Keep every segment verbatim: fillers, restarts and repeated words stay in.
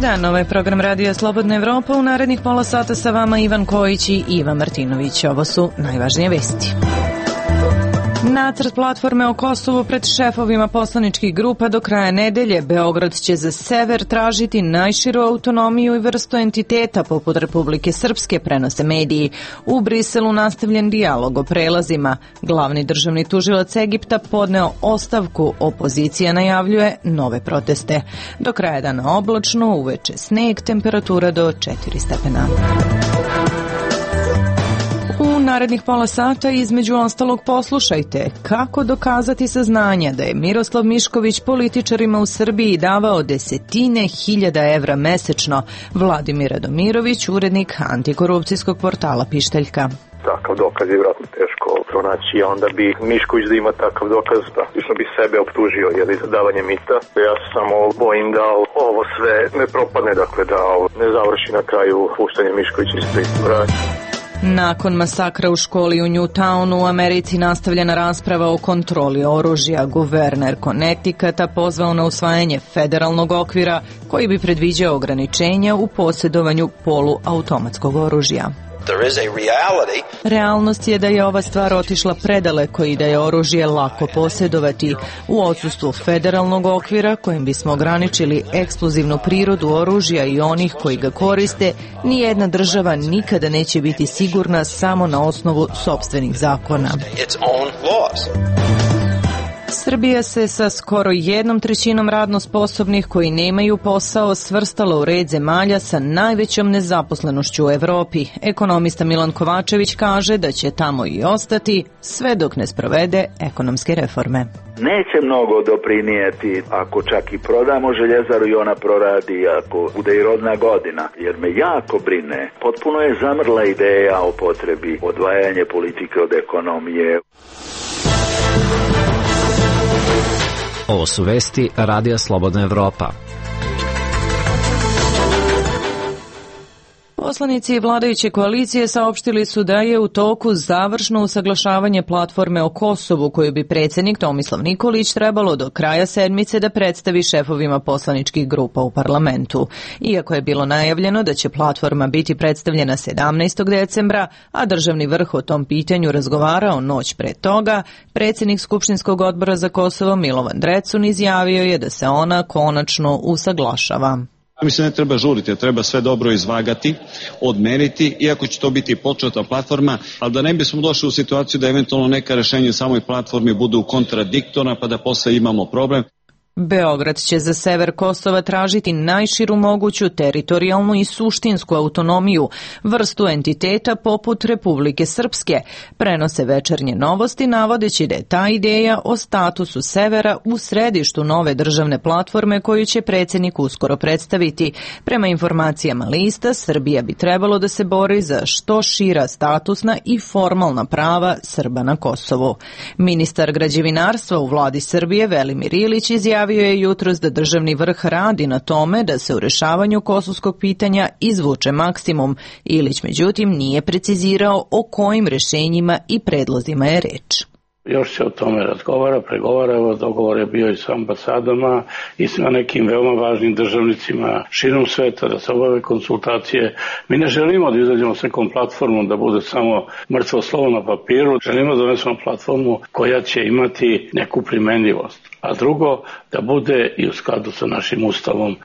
dan, ovaj program Radija Slobodna Evropa. U narednih pola sata sa vama Ivan Kojić i Ivan Martinović. Ovo su najvažnije vesti. Nacrt platforme o Kosovu pred šefovima poslaničkih grupa do kraja nedelje. Beograd će za sever tražiti najširu autonomiju i vrstu entiteta poput Republike Srpske, prenose mediji. U Briselu nastavljen dijalog o prelazima. Glavni državni tužilac Egipta podneo ostavku. Opozicija najavljuje nove proteste. Do kraja dana oblačno, uveče sneg, temperatura do četiri stepena. U narednih pola sata između ostalog poslušajte kako dokazati saznanja da je Miroslav Mišković političarima u Srbiji davao desetine hiljada evra mesečno. Vladimir Radomirović, urednik antikorupcijskog portala Pištaljka. Takav dokaz je vjerojatno teško pronaći, a onda bi Mišković da ima takav dokaz, praktično bi sebe optužio jeli, za davanje mita. Ja se samo bojim da ovo sve ne propadne, dakle da ovo ne završi na kraju puštanje Miškovića iz pritvora. Nakon masakra u školi u Newtownu u Americi nastavljena rasprava o kontroli oružja. Guverner Connecticuta pozvao na usvajanje federalnog okvira koji bi predviđao ograničenja u posjedovanju poluautomatskog oružja. Realnost je da je ova stvar otišla predaleko i da je oružje lako posjedovati. U odsustvu federalnog okvira kojim bismo ograničili eksplozivnu prirodu oružja i onih koji ga koriste, nijedna država nikada neće biti sigurna samo na osnovu sopstvenih zakona. Srbija se sa skoro jednom trećinom radno sposobnih koji nemaju posao svrstala u red zemalja sa najvećom nezaposlenošću u Evropi. Ekonomista Milan Kovačević kaže da će tamo i ostati sve dok ne sprovede ekonomske reforme. Neće mnogo doprinijeti ako čak i prodamo željezaru i ona proradi, ako bude i rodna godina, jer me jako brine. Potpuno je zamrla ideja o potrebi odvajanja politike od ekonomije. Ovo su vesti Radija Slobodna Evropa. Poslanici vladajuće koalicije saopštili su da je u toku završno usaglašavanje platforme o Kosovu koju bi predsjednik Tomislav Nikolić trebalo do kraja sedmice da predstavi šefovima poslaničkih grupa u parlamentu. Iako je bilo najavljeno da će platforma biti predstavljena sedamnaestog decembra, a državni vrh o tom pitanju razgovarao noć pre toga, predsjednik Skupštinskog odbora za Kosovo Milovan Drecun izjavio je da se ona konačno usaglašava. Mislim, ne treba žuriti, treba sve dobro izvagati, odmeriti, iako će to biti početna platforma, ali da ne bismo došli u situaciju da eventualno neka rešenja u samoj platformi budu kontradiktorna pa da posle imamo problem. Beograd će za sever Kosova tražiti najširu moguću teritorijalnu i suštinsku autonomiju, vrstu entiteta poput Republike Srpske. Prenose Večernje novosti navodeći da je ta ideja o statusu severa u središtu nove državne platforme koju će predsjednik uskoro predstaviti. Prema informacijama lista, Srbija bi trebalo da se bori za što šira statusna i formalna prava Srba na Kosovu. Ministar građevinarstva u vladi Srbije Velimir Ilić izjavio Javio je jutros da državni vrh radi na tome da se u rešavanju kosovskog pitanja izvuče maksimum. Ilić međutim nije precizirao o kojim rešenjima i predlozima je reč. Još se o tome razgovara, pregovara, evo dogovor je bio i sa ambasadama i sa nekim veoma važnim državnicima širom sveta da se obave konsultacije. Mi ne želimo da izađemo s nekom platformom da bude samo mrtvo slovo na papiru, želimo da donesemo platformu koja će imati neku primenljivost, a drugo da bude i u skladu sa našim ustavom.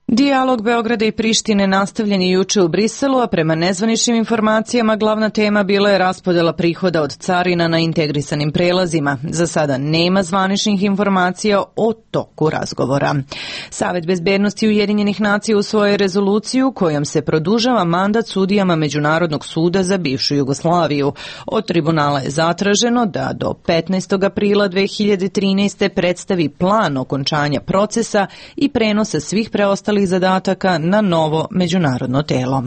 Dijalog Beograda i Prištine nastavljen je juče u Briselu, a prema nezvaničnim informacijama glavna tema bila je raspodela prihoda od carina na integrisanim prelazima. Za sada nema zvaničnih informacija o toku razgovora. Savet bezbednosti Ujedinjenih nacija usvojio rezoluciju kojom se produžava mandat sudijama Međunarodnog suda za bivšu Jugoslaviju. Od tribunala je zatraženo da do petnaestog aprila dve hiljade trinaeste. predstavi plan okončanja procesa i prenosa svih preostalih zadataka na novo međunarodno telo.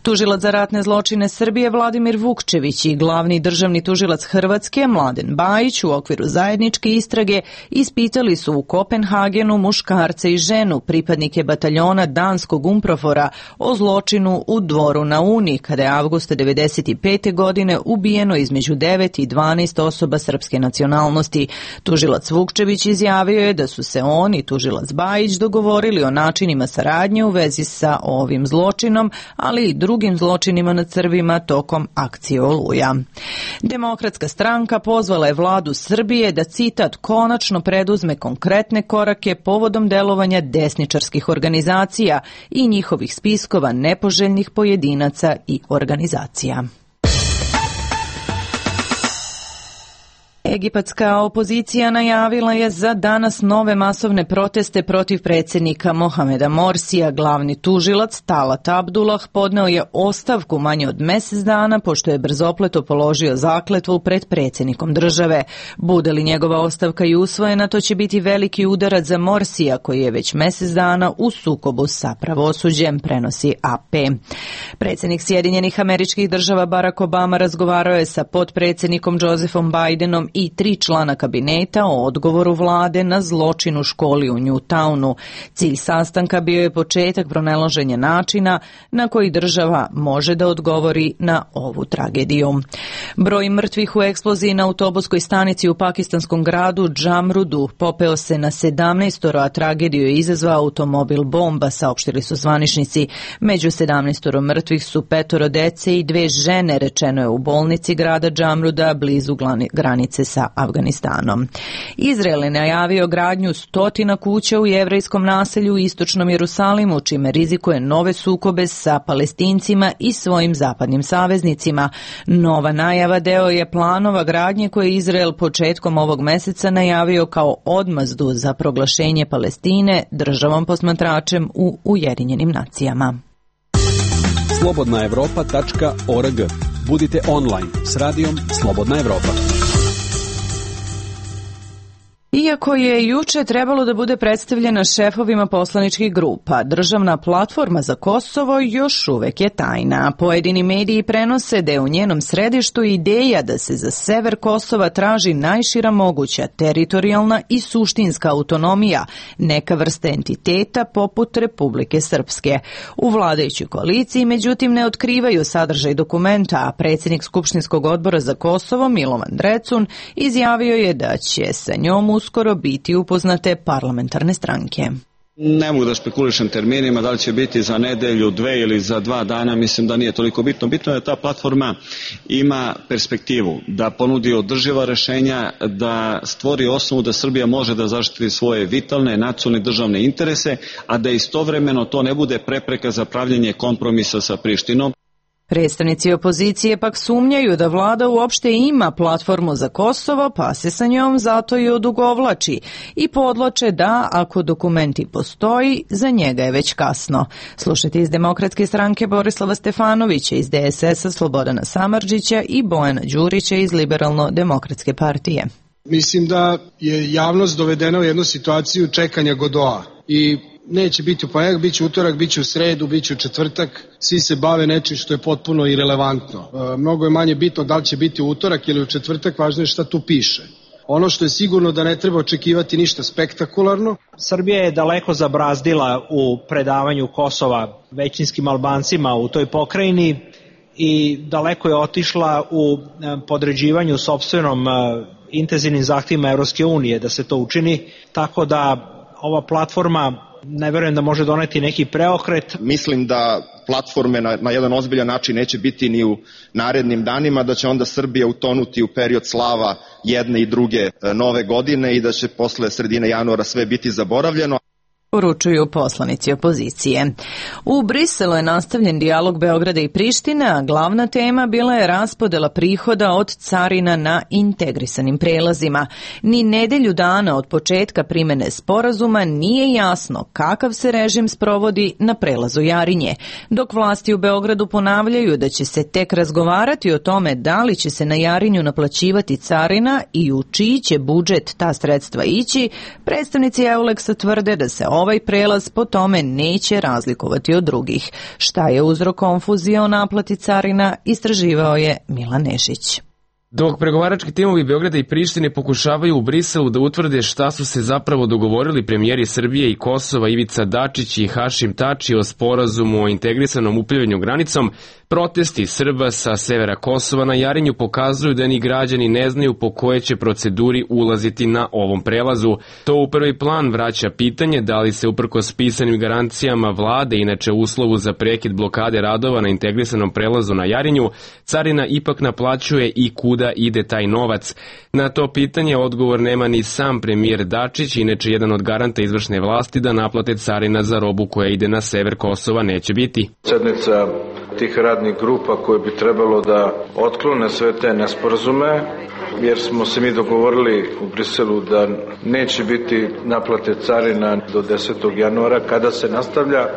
Tužilac za ratne zločine Srbije Vladimir Vukčević i glavni državni tužilac Hrvatske Mladen Bajić u okviru zajedničke istrage ispitali su u Kopenhagenu muškarce i ženu, pripadnike bataljona danskog Umprofora, o zločinu u Dvoru na Uni, kada je avgusta devedeset pete. godine ubijeno između devet i dvanaest osoba srpske nacionalnosti. Tužilac Vukčević izjavio je da su se on i tužilac Bajić dogovorili o načinima nema saradnje u vezi sa ovim zločinom, ali i drugim zločinima nad Srbima tokom akcije Oluja. Demokratska stranka pozvala je vladu Srbije da, citat, konačno preduzme konkretne korake povodom delovanja desničarskih organizacija i njihovih spiskova nepoželjnih pojedinaca i organizacija. Egipatska opozicija najavila je za danas nove masovne proteste protiv predsjednika Mohameda Morsija. Glavni tužilac Talat Abdullah podneo je ostavku manje od mjesec dana pošto je brzopleto položio zakletvu pred predsjednikom države. Bude li njegova ostavka i usvojena, to će biti veliki udarac za Morsija koji je već mjesec dana u sukobu sa pravosuđem, prenosi A P. Predsjednik Sjedinjenih Američkih Država Barack Obama razgovarao je sa potpredsjednikom Josephom Bidenom i tri člana kabineta o odgovoru vlade na zločin u školi u Newtownu. Cilj sastanka bio je početak pronalaženja načina na koji država može da odgovori na ovu tragediju. Broj mrtvih u eksploziji na autobuskoj stanici u pakistanskom gradu Džamrudu popeo se na sedamnaestoro, a tragediju je izazvao automobil bomba, saopštili su zvaničnici. Među sedamnaestoro mrtvih su petoro dece i dve žene, rečeno je u bolnici grada Džamruda blizu granice sa Afganistanom. Izrael je najavio gradnju stotina kuća u jevrejskom naselju u istočnom Jerusalimu, čime rizikuje nove sukobe sa Palestincima i svojim zapadnim saveznicima. Nova najava deo je planova gradnje koje je Izrael početkom ovog meseca najavio kao odmazdu za proglašenje Palestine državom posmatračem u Ujedinjenim nacijama. slobodna evropa tačka org. Budite online s radijom Slobodna Evropa. Iako je juče trebalo da bude predstavljena šefovima poslaničkih grupa, državna platforma za Kosovo još uvek je tajna. Pojedini mediji prenose da je u njenom središtu ideja da se za sever Kosova traži najšira moguća teritorijalna i suštinska autonomija, neka vrsta entiteta poput Republike Srpske. U vladajućoj koaliciji, međutim, ne otkrivaju sadržaj dokumenta, a predsjednik Skupštinskog odbora za Kosovo, Milovan Drecun, izjavio je da će sa njom uskoro biti upoznate parlamentarne stranke. Ne mogu da špekulišem terminima, da li će biti za nedelju, dve ili za dva dana, mislim da nije toliko bitno. Bitno je da ta platforma ima perspektivu, da ponudi održiva rešenja, da stvori osnovu da Srbija može da zaštiti svoje vitalne, nacionalne državne interese, a da istovremeno to ne bude prepreka za pravljenje kompromisa sa Prištinom. Predstavnici opozicije pak sumnjaju da vlada uopšte ima platformu za Kosovo, pa se sa njom zato i odugovlači i podloče da, ako dokumenti postoji, za njega je već kasno. Slušajte iz Demokratske stranke Borislava Stefanovića, iz D S S-a Slobodana Samardžića i Bojana Đurića iz Liberalno-demokratske partije. Mislim da je javnost dovedena u jednu situaciju čekanja Godoa i neće biti u ponedjeljak, bit će utorak, bit će u sredu, bit će u četvrtak, svi se bave nečim što je potpuno irelevantno. E, mnogo je manje bitno da li će biti u utorak ili u četvrtak, važno je šta tu piše. Ono što je sigurno da ne treba očekivati ništa spektakularno. Srbija je daleko zabrazdila u predavanju Kosova većinskim Albancima u toj pokrajini i daleko je otišla u podređivanju sopstvenom intenzivnim zahtjevima Evropske unije da se to učini, tako da ova platforma ne verujem da može doneti neki preokret. Mislim da platforme na, na jedan ozbiljan način neće biti ni u narednim danima, da će onda Srbija utonuti u period slava jedne i druge nove godine i da će posle sredine januara sve biti zaboravljeno. Poručuju poslanici opozicije. U Briselu je nastavljen dijalog Beograda i Prištine, a glavna tema bila je raspodela prihoda od carina na integrisanim prelazima. Ni nedelju dana od početka primene sporazuma nije jasno kakav se režim sprovodi na prelazu Jarinje, dok vlasti u Beogradu ponavljaju da će se tek razgovarati o tome da li će se na Jarinju naplaćivati carina i u čiji će budžet ta sredstva ići. Predstavnici Euleksa tvrde da se ovaj prelaz po tome neće razlikovati od drugih. Šta je uzrok konfuzije o naplati carina, istraživao je Milan Nešić. Dok pregovarački timovi Beograda i Prištine pokušavaju u Briselu da utvrde šta su se zapravo dogovorili premijeri Srbije i Kosova Ivica Dačić i Hašim Tači o sporazumu o integrisanom upravljanju granicom, Protesti Srba sa severa Kosova na Jarinju pokazuju da ni građani ne znaju po kojoj će proceduri ulaziti na ovom prelazu. To u prvi plan vraća pitanje da li se uprkos pisanim garancijama vlade, inače uslovu za prekid blokade radova na integrisanom prelazu na Jarinju, carina ipak naplaćuje i kuda ide taj novac. Na to pitanje odgovor nema ni sam premijer Dačić, inače jedan od garanta izvršne vlasti da naplate carina za robu koja ide na sever Kosova neće biti. Sednica tih radnih grupa koje bi trebalo da otklone sve te nesporazume, jer smo se mi dogovorili u Briselu da neće biti naplate carina do desetog januara kada se nastavlja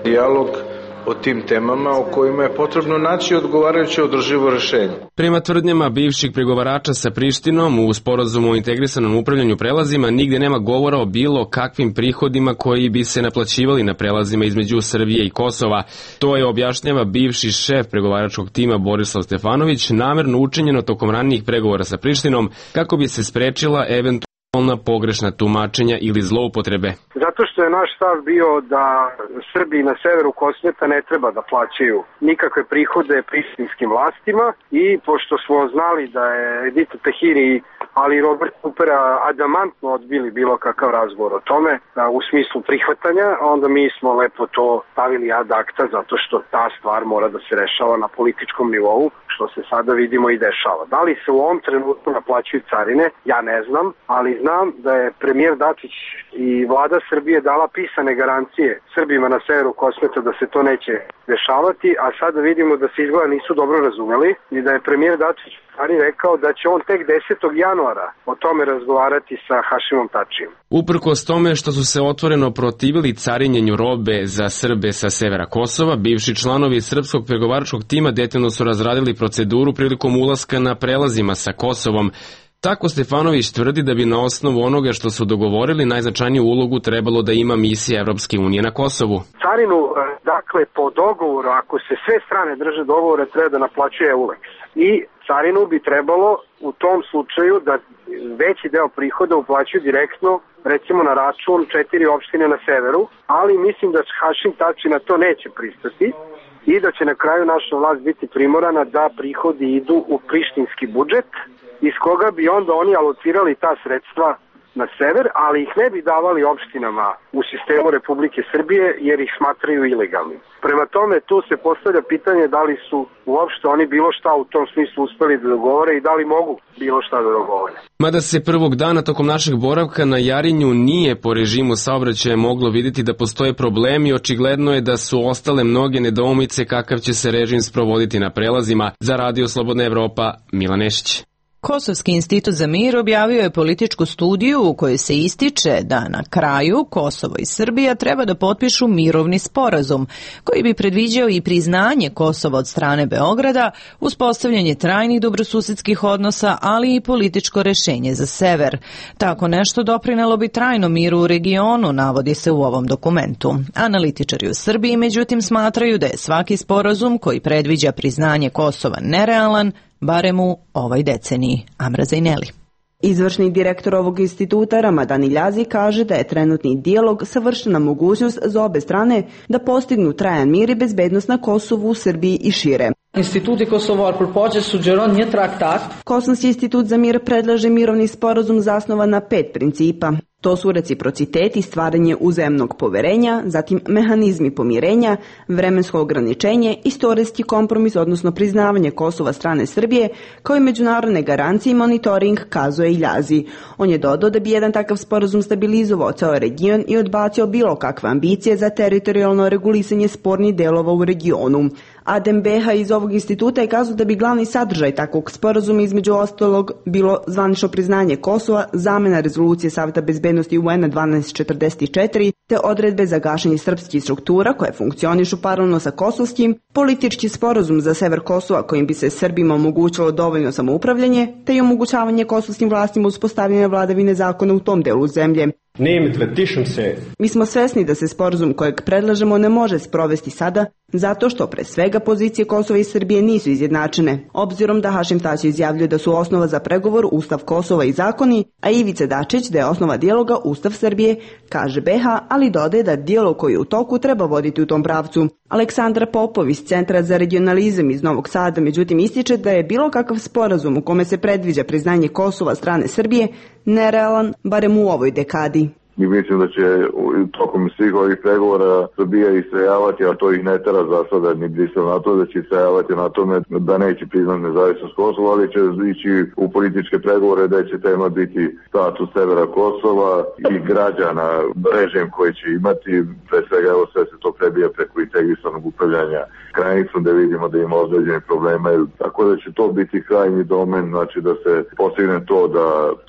dijalog o tim temama o kojima je potrebno naći odgovarajuće održivo rešenje. Prema tvrdnjama bivših pregovarača sa Prištinom u sporazumu o integrisanom upravljanju prelazima nigde nema govora o bilo kakvim prihodima koji bi se naplaćivali na prelazima između Srbije i Kosova. To je objašnjava bivši šef pregovaračkog tima Borislav Stefanović, namerno učinjeno tokom ranijih pregovora sa Prištinom kako bi se sprečila eventualna pogrešna tumačenja ili zloupotrebe. Zato što je naš stav bio da Srbi na severu Kosmeta ne treba da plaćaju nikakve prihode prištinskim vlastima i pošto smo znali da je Edita Tahiri ali i Robert Kupera adamantno odbili bilo kakav razgovor o tome u smislu prihvatanja, onda mi smo lepo to stavili ad acta zato što ta stvar mora da se rešava na političkom nivou, što se sada vidimo i dešava. Da li se u ovom trenutku naplaćuju carine, ja ne znam, ali znam da je premijer Dačić i vlada Srbije dala pisane garancije Srbima na severu Kosmeta da se to neće dešavati, a sada vidimo da se izgleda nisu dobro razumeli i da je premijer Dačić rekao da će on tek desetog januara o tome razgovarati sa Hašimom Tačijem. Uprkos tome što su se otvoreno protivili carinjenju robe za Srbe sa severa Kosova, bivši članovi srpskog pregovaračkog tima detaljno su razradili proceduru prilikom ulaska na prelazima sa Kosovom. Tako Stefanović tvrdi da bi na osnovu onoga što su dogovorili najznačajniju ulogu trebalo da ima misija Evropske unije na Kosovu. Carinu, dakle, po dogovoru, ako se sve strane drže dogovora, treba da naplaćuje EULEX. I carinu bi trebalo u tom slučaju da veći deo prihoda uplaćuju direktno, recimo na račun četiri opštine na severu, ali mislim da Hašim Tači na to neće pristati i da će na kraju naša vlast biti primorana da prihodi idu u prištinski budžet, iz koga bi onda oni alocirali ta sredstva na sever, ali ih ne bi davali opštinama u sistemu Republike Srbije jer ih smatraju ilegalnim. Prema tome, tu se postavlja pitanje da li su uopšte oni bilo šta u tom smislu uspeli da dogovore i da li mogu bilo šta da dogovore. Mada se prvog dana tokom našeg boravka na Jarinju nije po režimu saobraćaja moglo vidjeti da postoje problemi, očigledno je da su ostale mnoge nedoumice kakav će se režim sprovoditi na prelazima. Za Radio Slobodna Evropa, Milan Nešić. Kosovski institut za mir objavio je političku studiju u kojoj se ističe da na kraju Kosovo i Srbija treba da potpišu mirovni sporazum koji bi predviđao i priznanje Kosova od strane Beograda, uspostavljanje trajnih dobrosusedskih odnosa, ali i političko rešenje za sever. Tako nešto doprinelo bi trajno miru u regionu, navodi se u ovom dokumentu. Analitičari u Srbiji međutim smatraju da je svaki sporazum koji predviđa priznanje Kosova nerealan, barem u ovoj deceniji. Amra Zajneli. Izvršni direktor ovog instituta Ramadan Iljazi kaže da je trenutni dijalog savršena mogućnost za obe strane da postignu trajan mir i bezbednost na Kosovu, Srbiji i šire. Instituti Kosovar përpaqe sugjeron një traktat. Kosovski institut za mir predlaže mirovni sporazum zasnovan na pet principa. To su reciprocitet i stvaranje uzajamnog poverenja, zatim mehanizmi pomirenja, vremensko ograničenje, istorijski kompromis, odnosno priznavanje Kosova strane Srbije, kao i međunarodne garancije i monitoring, kazuje Iljazi. On je dodao da bi jedan takav sporazum stabilizovao ceo region i odbacio bilo kakve ambicije za teritorijalno regulisanje spornih delova u regionu. Adem Beha iz ovog instituta je kazao da bi glavni sadržaj takvog sporazuma između ostalog bilo zvanično priznanje Kosova, zamena rezolucije Saveta bezbednosti U N dvanaest četrdeset četiri, te odredbe za gašenje srpskih struktura koje funkcionišu paralelno sa kosovskim, politički sporazum za sever Kosova kojim bi se Srbima omogućilo dovoljno samoupravljanje, te i omogućavanje kosovskim vlastima uspostavljanja vladavine zakona u tom delu zemlje. Mi smo svesni da se sporazum kojeg predlažemo ne može sprovesti sada, zato što pre svega pozicije Kosova i Srbije nisu izjednačene, obzirom da Hašim Tači izjavljuje da su osnova za pregovor Ustav Kosova i zakoni, a Ivica Dačić da je osnova dijaloga Ustav Srbije, kaže Beha, ali dodaje da dijalog koji je u toku treba voditi u tom pravcu. Aleksandra Popov iz Centra za regionalizam iz Novog Sada međutim ističe da je bilo kakav sporazum u kome se predviđa priznanje Kosova strane Srbije nerealan, barem u ovoj dekadi. I mislim da će tokom svih ovih pregovora Srbija istrajavati, a to ih ne tera za sada ni Brisel na to, da će istrajavati na tome da neće priznati nezavisnost Kosova, ali će ići u političke pregovore da će tema biti status severa Kosova i građana, režim koji će imati, pre svega evo sve se to prebija preko integrisanog upravljanja granicom, da vidimo da ima određene problema, tako da će to biti krajnji domen, znači da se postigne to da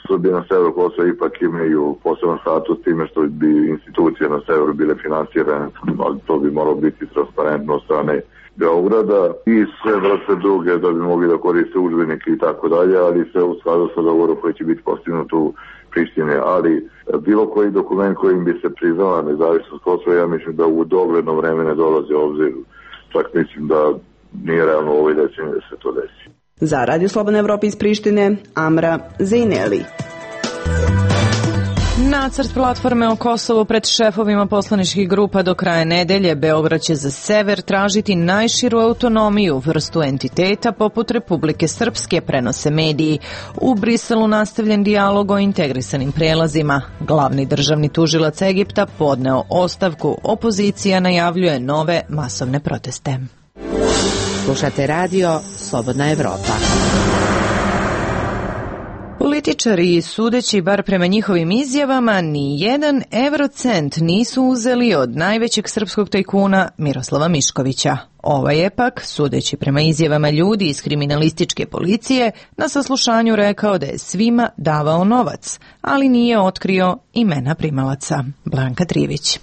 Srbija na severu Kosova ipak imaju poseban status time što bi institucije na severu bile finansirane, ali to bi moralo biti transparentno od strane Beograda i sve vrste druge da bi mogli da koriste udžbenike i tako dalje, ali sve u skladu sa dogovorom koji će biti postignut u Prištine, ali bilo koji dokument kojim bi se priznala nezavisnost Kosova, ja mislim da u dogledno vreme ne dolazi u obzir, čak mislim da nije realno u ovoj deceniji da se to desi. Za Radio Slobodna Evropa iz Prištine, Amra Zejneli. Nacrt platforme o Kosovu pred šefovima poslaničkih grupa do kraja nedelje. Beograd će za sever tražiti najširu autonomiju, vrstu entiteta poput Republike Srpske, prenose mediji. U Briselu nastavljen dijalog o integrisanim prelazima. Glavni državni tužilac Egipta podneo ostavku. Opozicija najavljuje nove masovne proteste. Slušate radio Slobodna Evropa. Političari, sudeći bar prema njihovim izjavama, ni jedan eurocent nisu uzeli od najvećeg srpskog tajkuna Miroslava Miškovića. Ovaj je pak, sudeći prema izjavama ljudi iz kriminalističke policije, na saslušanju rekao da je svima davao novac, ali nije otkrio imena primalaca. Blanka Trivić.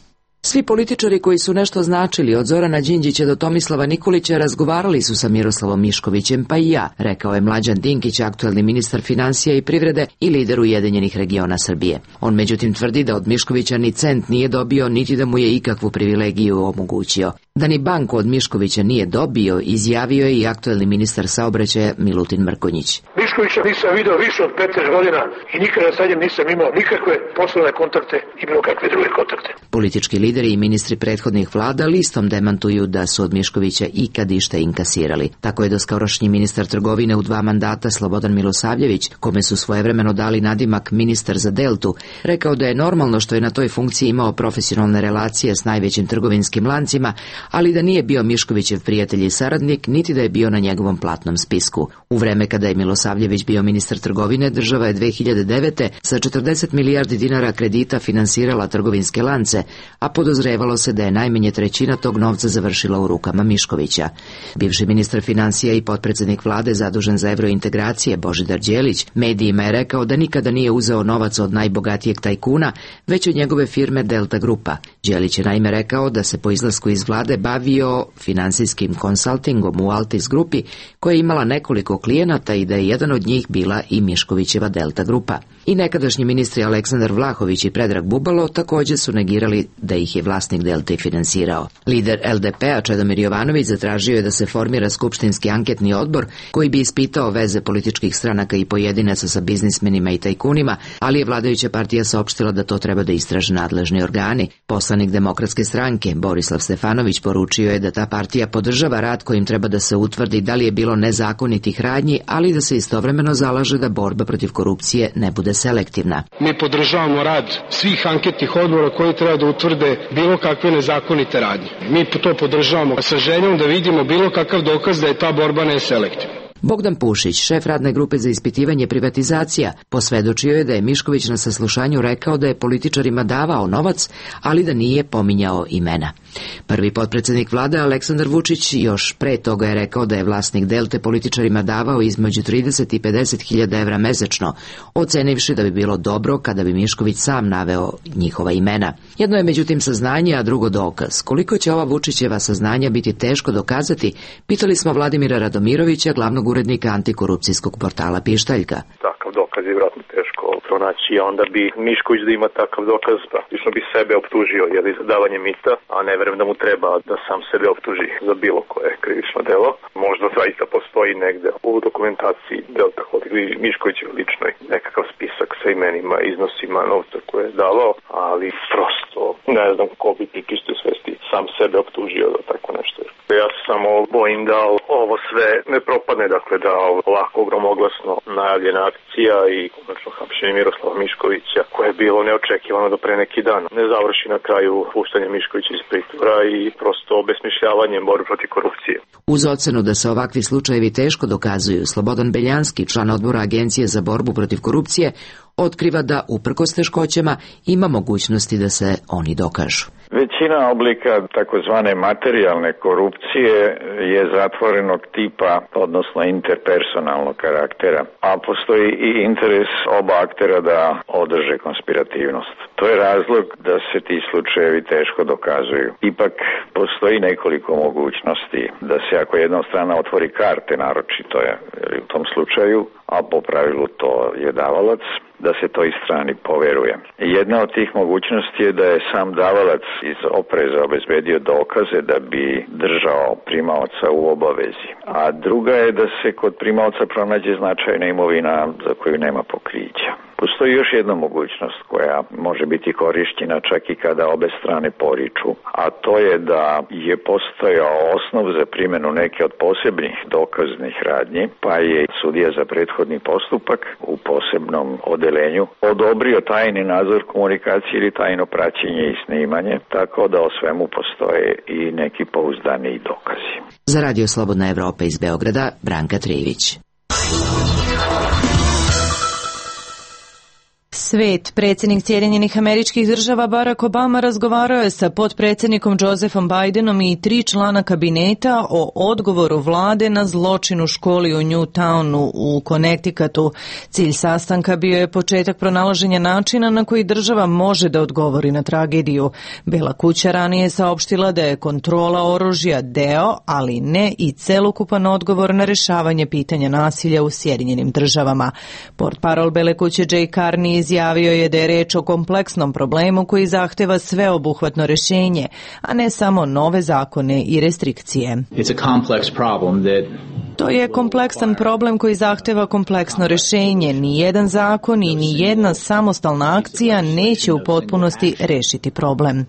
Svi političari koji su nešto značili od Zorana Đinđića do Tomislava Nikolića razgovarali su sa Miroslavom Miškovićem, pa i ja, rekao je Mlađan Dinkić, aktuelni ministar finansija i privrede i lider Ujedinjenih regiona Srbije. On međutim tvrdi da od Miškovića ni cent nije dobio, niti da mu je ikakvu privilegiju omogućio. Da ni banku od Miškovića nije dobio, izjavio je i aktuelni ministar saobraćaja Milutin Mrkonjić. Miškovića nisam video više od petnaest godina i nikada sa njim nisam imao nikakve poslovne kontakte i bilo kakve druge kontakte. Politički lideri i ministri prethodnih vlada listom demantuju da su od Miškovića ikad išta inkasirali. Tako je doskorašnji ministar trgovine u dva mandata Slobodan Milosavljević, kome su svojevremeno dali nadimak ministar za Deltu, rekao da je normalno što je na toj funkciji imao profesionalne relacije s najvećim trgovinskim lancima, ali da nije bio Miškovićev prijatelj i saradnik, niti da je bio na njegovom platnom spisku. U vreme kada je Milosavljević bio ministar trgovine, država je dve hiljade devete. sa četrdeset milijardi dinara kredita finansirala trgovinske lance, a podozrevalo se da je najmanje trećina tog novca završila u rukama Miškovića. Bivši ministar finansija i potpredsednik vlade zadužen za evrointegracije Božidar Đelić medijima je rekao da nikada nije uzeo novac od najbogatijeg tajkuna, već od njegove firme Delta Grupa. Đelić je naime rekao da se po izlasku iz vlade bavio finansijskim konsaltingom u Altis Grupi, koja je imala nekoliko klijenata i da je jedan od njih bila i Miškovićeva Delta Grupa. I nekadašnji ministri Aleksandar Vlahović i Predrag Bubalo također su negirali da ih je vlasnik Delte finansirao. Lider L D P-a Čedomir Jovanović zatražio je da se formira skupštinski anketni odbor koji bi ispitao veze političkih stranaka i pojedinaca sa biznismenima i tajkunima, ali je vladajuća partija saopštila da to treba da istraže nadležni organi. Poslanik Demokratske stranke Borislav Stefanović poručio je da ta partija podržava rad kojim treba da se utvrdi da li je bilo nezakonitih radnji, ali da se istovremeno zalaže da borba protiv korupcije ne bude selektivna. Mi podržavamo rad svih anketnih odbora koji treba da utvrde bilo kakve nezakonite radnje. Mi to podržavamo sa željom da vidimo bilo kakav dokaz da je ta borba neselektivna. Bogdan Pušić, šef radne grupe za ispitivanje privatizacija, posvedočio je da je Mišković na saslušanju rekao da je političarima davao novac, ali da nije pominjao imena. Prvi potpredsednik vlade Aleksandar Vučić još pre toga je rekao da je vlasnik Delte političarima davao između trideset i pedeset hiljada evra mesečno, ocenivši da bi bilo dobro kada bi Mišković sam naveo njihova imena. Jedno je međutim saznanje, a drugo dokaz. Koliko će ova Vučićeva saznanja biti teško dokazati, pitali smo Vladimira Radomirovića, glavnog urednika antikorupcijskog portala Pištaljka. Takav dokaz je vjerojatno teško pronaći, a onda bi Mišković da ima takav dokaz, praktično bi sebe optužio jer za davanje mita, a ne verujem da mu treba da sam sebe optuži za bilo koje krivično delo. Možda zaista postoji negde u dokumentaciji Delta Holding Miškovićev ličnoj nekakav spisak sa imenima, iznosima novca koje je davao, ali prosto ne znam ko bi pri čistoj svesti sam sebe optužio da tako nešto. Ja se samo bojim da ovo sve ne propadne, dakle da ovako gromoglasno najavljena akcija i konačno hapšenje Miroslava Miškovića, koje je bilo neočekivano do pre neki dan, ne završi na kraju puštanje Miškovića iz pritvora i prosto obesmišljavanjem borbe protiv korupcije. Uz ocenu da se ovakvi slučajevi teško dokazuju, Slobodan Beljanski, član odbora Agencije za borbu protiv korupcije, otkriva da, uprkos teškoćama, ima mogućnosti da se oni dokažu. Većina oblika takozvane materijalne korupcije je zatvorenog tipa, odnosno interpersonalnog karaktera, a postoji i interes oba aktera da održe konspirativnost. To je razlog da se ti slučajevi teško dokazuju. Ipak postoji nekoliko mogućnosti da se, ako jedna strana otvori karte, naročito je u tom slučaju, a po pravilu to je davalac, da se toj strani poveruje. Jedna od tih mogućnosti je da je sam davalac iz opreza obezbedio dokaze da bi držao primaoca u obavezi. A druga je da se kod primaoca pronađe značajna imovina za koju nema pokrića. Postoji još jedna mogućnost koja može biti korišćena čak i kada obe strane poriču, a to je da je postojao osnov za primjenu neke od posebnih dokaznih radnji, pa je sudija za prethodni postupak u posebnom odelenju odobrio tajni nadzor komunikacije ili tajno praćenje i snimanje, tako da o svemu postoje i neki pouzdaniji dokazi. Za Radio Slobodna Evropa iz Beograda, Branka Trijević. Svet, predsjednik Sjedinjenih Američkih Država Barack Obama razgovarao je sa potpredsjednikom Josephom Bidenom i tri člana kabineta o odgovoru vlade na zločin u školi u Newtownu u Connecticutu. Cilj sastanka bio je početak pronalaženja načina na koji država može da odgovori na tragediju. Bela kuća ranije saopštila da je kontrola oružja deo, ali ne i celokupan odgovor na rešavanje pitanja nasilja u Sjedinjenim Državama. Portparol Bele kuće Jay Carney izjavio je da je reč o kompleksnom problemu koji zahteva sveobuhvatno rešenje, a ne samo nove zakone i restrikcije. To je kompleksan problem koji zahteva kompleksno rešenje. Ni jedan zakon i ni jedna samostalna akcija neće u potpunosti rešiti problem.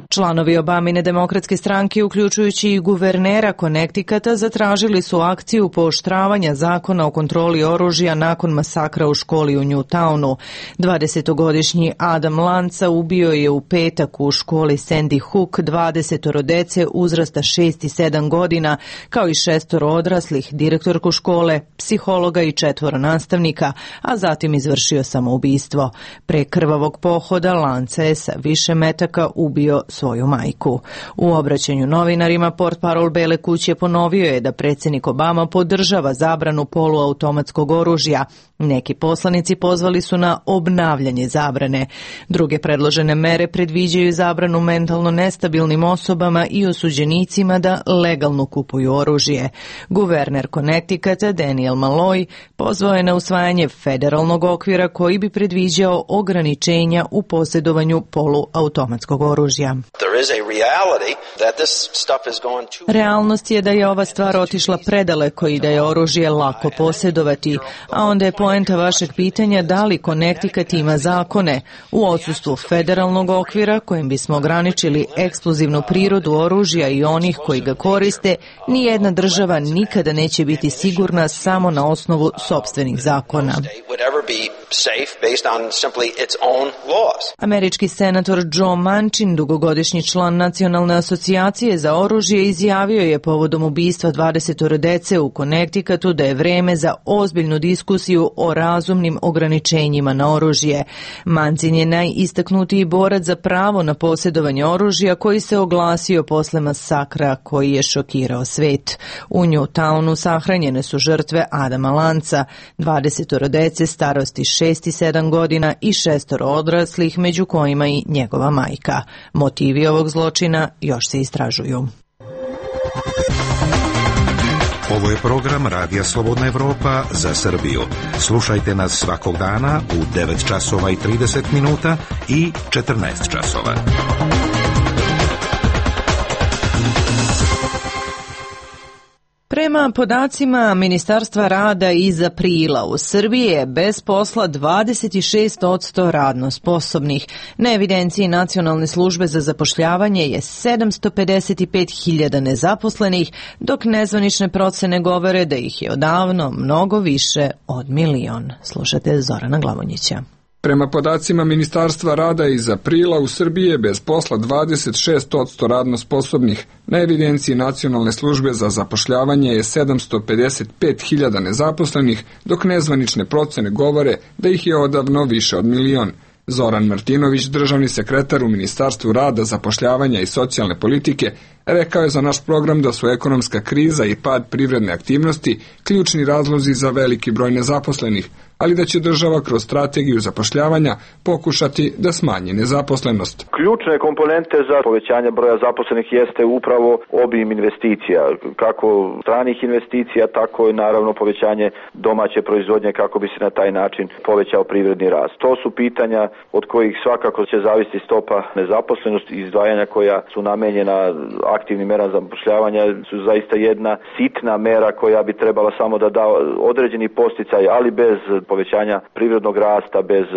Članovi Obamine demokratske stranke, uključujući i guvernera Connecticuta, zatražili su akciju pooštravanja zakona o kontroli oružja nakon masakra u školi u Newtownu. dvadesetogodišnji Adam Lanza ubio je u petak u školi Sandy Hook dvadesetoro dece uzrasta šest i sedam godina, kao i šestoro odraslih, direktorku škole, psihologa i četvoro nastavnika, a zatim izvršio samoubistvo. Pre krvavog pohoda Lanza je sa više metaka ubio svoju majku. U obraćanju novinarima portparol Bele kuće ponovio je da predsjednik Obama podržava zabranu poluautomatskog oružja. Neki poslanici pozvali su na obnavljanje zabrane. Druge predložene mere predviđaju zabranu mentalno nestabilnim osobama i osuđenicima da legalno kupuju oružje. Guverner Connecticuta Daniel Malloy pozvao je na usvajanje federalnog okvira koji bi predviđao ograničenja u posjedovanju poluautomatskog oružja. Realnost je da je ova stvar otišla predaleko i da je oružje lako posjedovati, a onda je poenta vašeg pitanja da li Connecticut ima zakone. U odsustvu federalnog okvira kojim bismo ograničili eksplozivnu prirodu oružja i onih koji ga koriste, nijedna država nikada neće biti sigurna samo na osnovu sopstvenih zakona. Američki senator Joe Manchin, dugogodišnji član Nacionalne asocijacije za oružje, izjavio je povodom ubistva dvadesetoro dece u Connecticutu da je vreme za ozbiljnu diskusiju o razumnim ograničenjima na oružje. Manchin je najistaknutiji borac za pravo na posjedovanje oružja koji se oglasio posle masakra koji je šokirao svet. U Newtownu sahranjene su žrtve Adama Lanza, dvadesetoro dece starosti šest i sedam godina i šestoro odraslih, među kojima i njegova majka. Motivi ovog zločina još se istražuju. Ovo je program Radija Slobodna Evropa za Srbiju. Slušajte nas svakog dana u devet časova i trideset minuta i četrnaest časova. Pre Prema podacima Ministarstva rada iz aprila u Srbiji je bez posla dvadeset šest posto radno sposobnih. Na evidenciji Nacionalne službe za zapošljavanje je sedamsto pedeset pet hiljada nezaposlenih, dok nezvanične procene govore da ih je odavno mnogo više od milion. Slušate Zorana Glavonjića. Prema podacima Ministarstva rada iz aprila u Srbiji je bez posla dvadeset šest posto radno sposobnih. Na evidenciji Nacionalne službe za zapošljavanje je sedamsto pedeset pet hiljada nezaposlenih, dok nezvanične procene govore da ih je odavno više od milion. Zoran Martinović, državni sekretar u Ministarstvu rada, zapošljavanja i socijalne politike, rekao je za naš program da su ekonomska kriza i pad privredne aktivnosti ključni razlozi za veliki broj nezaposlenih, ali da će država kroz strategiju zapošljavanja pokušati da smanji nezaposlenost. Ključne komponente za povećanje broja zaposlenih jeste upravo obim investicija, kako stranih investicija, tako i naravno povećanje domaće proizvodnje kako bi se na taj način povećao privredni rast. To su pitanja od kojih svakako će zavisiti stopa nezaposlenosti i izdvajanja koja su namenjena aktivnim merama zapošljavanja su zaista jedna sitna mera koja bi trebala samo da da određeni posticaj, ali bez povećanja privrednog rasta, bez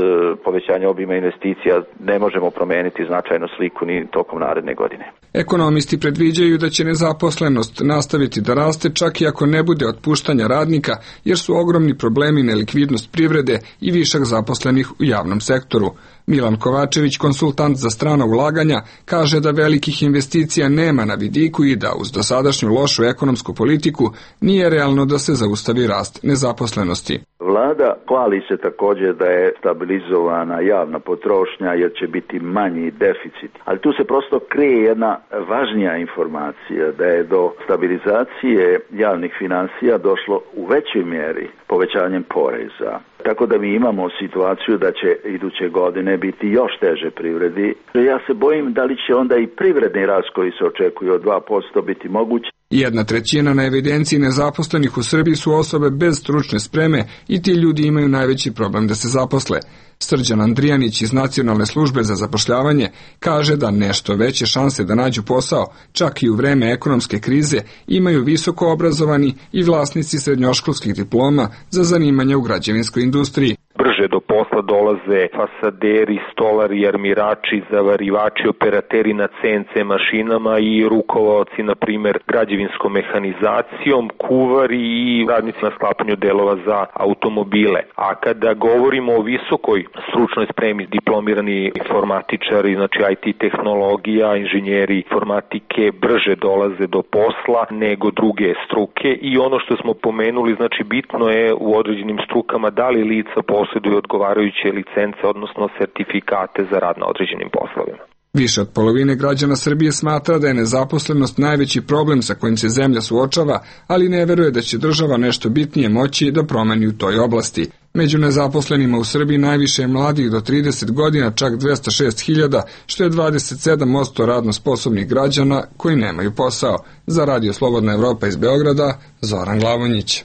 povećanja obima investicija ne možemo promeniti značajno sliku ni tokom naredne godine. Ekonomisti predviđaju da će nezaposlenost nastaviti da raste čak i ako ne bude otpuštanja radnika, jer su ogromni problemi nelikvidnost privrede i višak zaposlenih u javnom sektoru. Milan Kovačević, konsultant za strana ulaganja, kaže da velikih investicija nema na vidiku i da uz dosadašnju lošu ekonomsku politiku nije realno da se zaustavi rast nezaposlenosti. Vlada hvali se također da je stabilizovana javna potrošnja jer će biti manji deficit. Ali tu se prosto krije jedna važnija informacija da je do stabilizacije javnih financija došlo u većoj mjeri povećanjem poreza. Tako da mi imamo situaciju da će iduće godine biti još teže privredi. Ja se bojim da li će onda i privredni rast koji se očekuje od dva posto biti moguć. Jedna trećina na evidenciji nezaposlenih u Srbiji su osobe bez stručne spreme i ti ljudi imaju najveći problem da se zaposle. Srđan Andrijanić iz Nacionalne službe za zapošljavanje kaže da nešto veće šanse da nađu posao, čak i u vreme ekonomske krize, imaju visoko obrazovani i vlasnici srednjoškolskih diploma za zanimanja u građevinskoj industriji. Brže do posla dolaze fasaderi, stolari, armirači, zavarivači, operateri na C N C mašinama i rukovaoci, na primjer, građevinskom mehanizacijom, kuvari i radnici na sklapanju delova za automobile. A kada govorimo o visokoj stručnoj spremi, diplomirani informatičari, znači I T tehnologija, inženjeri informatike brže dolaze do posla nego druge struke i ono što smo pomenuli, znači bitno je u određenim strukama da li lica posjeduju odgovarajuće licence, odnosno sertifikate za rad na određenim poslovima. Više od polovine građana Srbije smatra da je nezaposlenost najveći problem sa kojim se zemlja suočava, ali ne veruje da će država nešto bitnije moći da promeni u toj oblasti. Među nezaposlenima u Srbiji najviše je mladih do trideset godina, čak dvesta šest hiljada, što je dvadeset sedam posto radno sposobnih građana koji nemaju posao. Za Radio Slobodna Evropa iz Beograda, Zoran Glavonjić.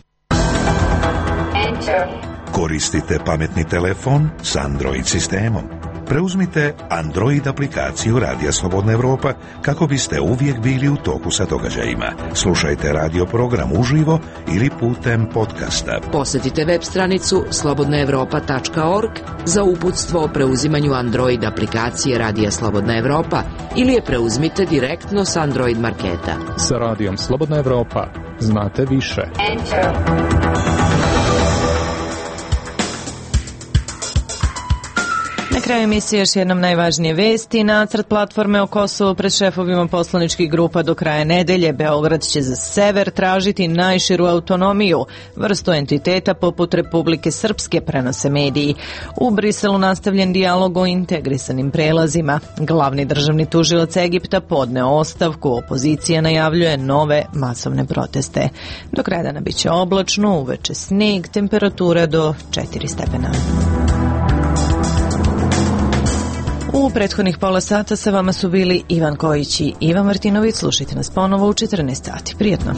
Koristite pametni telefon s Android sistemom. Preuzmite Android aplikaciju Radija Slobodna Evropa kako biste uvijek bili u toku sa događajima. Slušajte radio program uživo ili putem podcasta. Posjetite web stranicu slobodna evropa tačka org za uputstvo o preuzimanju Android aplikacije Radija Slobodna Evropa ili je preuzmite direktno s Android marketa. Sa Radijom Slobodna Evropa znate više. Enter. Na kraju emisije još jednom najvažnije vesti. Nacrt platforme o Kosovu pred šefovima poslaničkih grupa do kraja nedelje. Beograd će za sever tražiti najširu autonomiju, vrstu entiteta poput Republike Srpske, prenose mediji. U Briselu nastavljen dijalog o integrisanim prelazima. Glavni državni tužilac Egipta podneo ostavku, opozicija najavljuje nove masovne proteste. Do kraja dana bit će oblačno, uveče sneg, temperatura do četiri stepena. U prethodnih pola sata sa vama su bili Ivan Kojić i Ivan Martinović. Slušajte nas ponovo u četrnaest sati. Prijetno.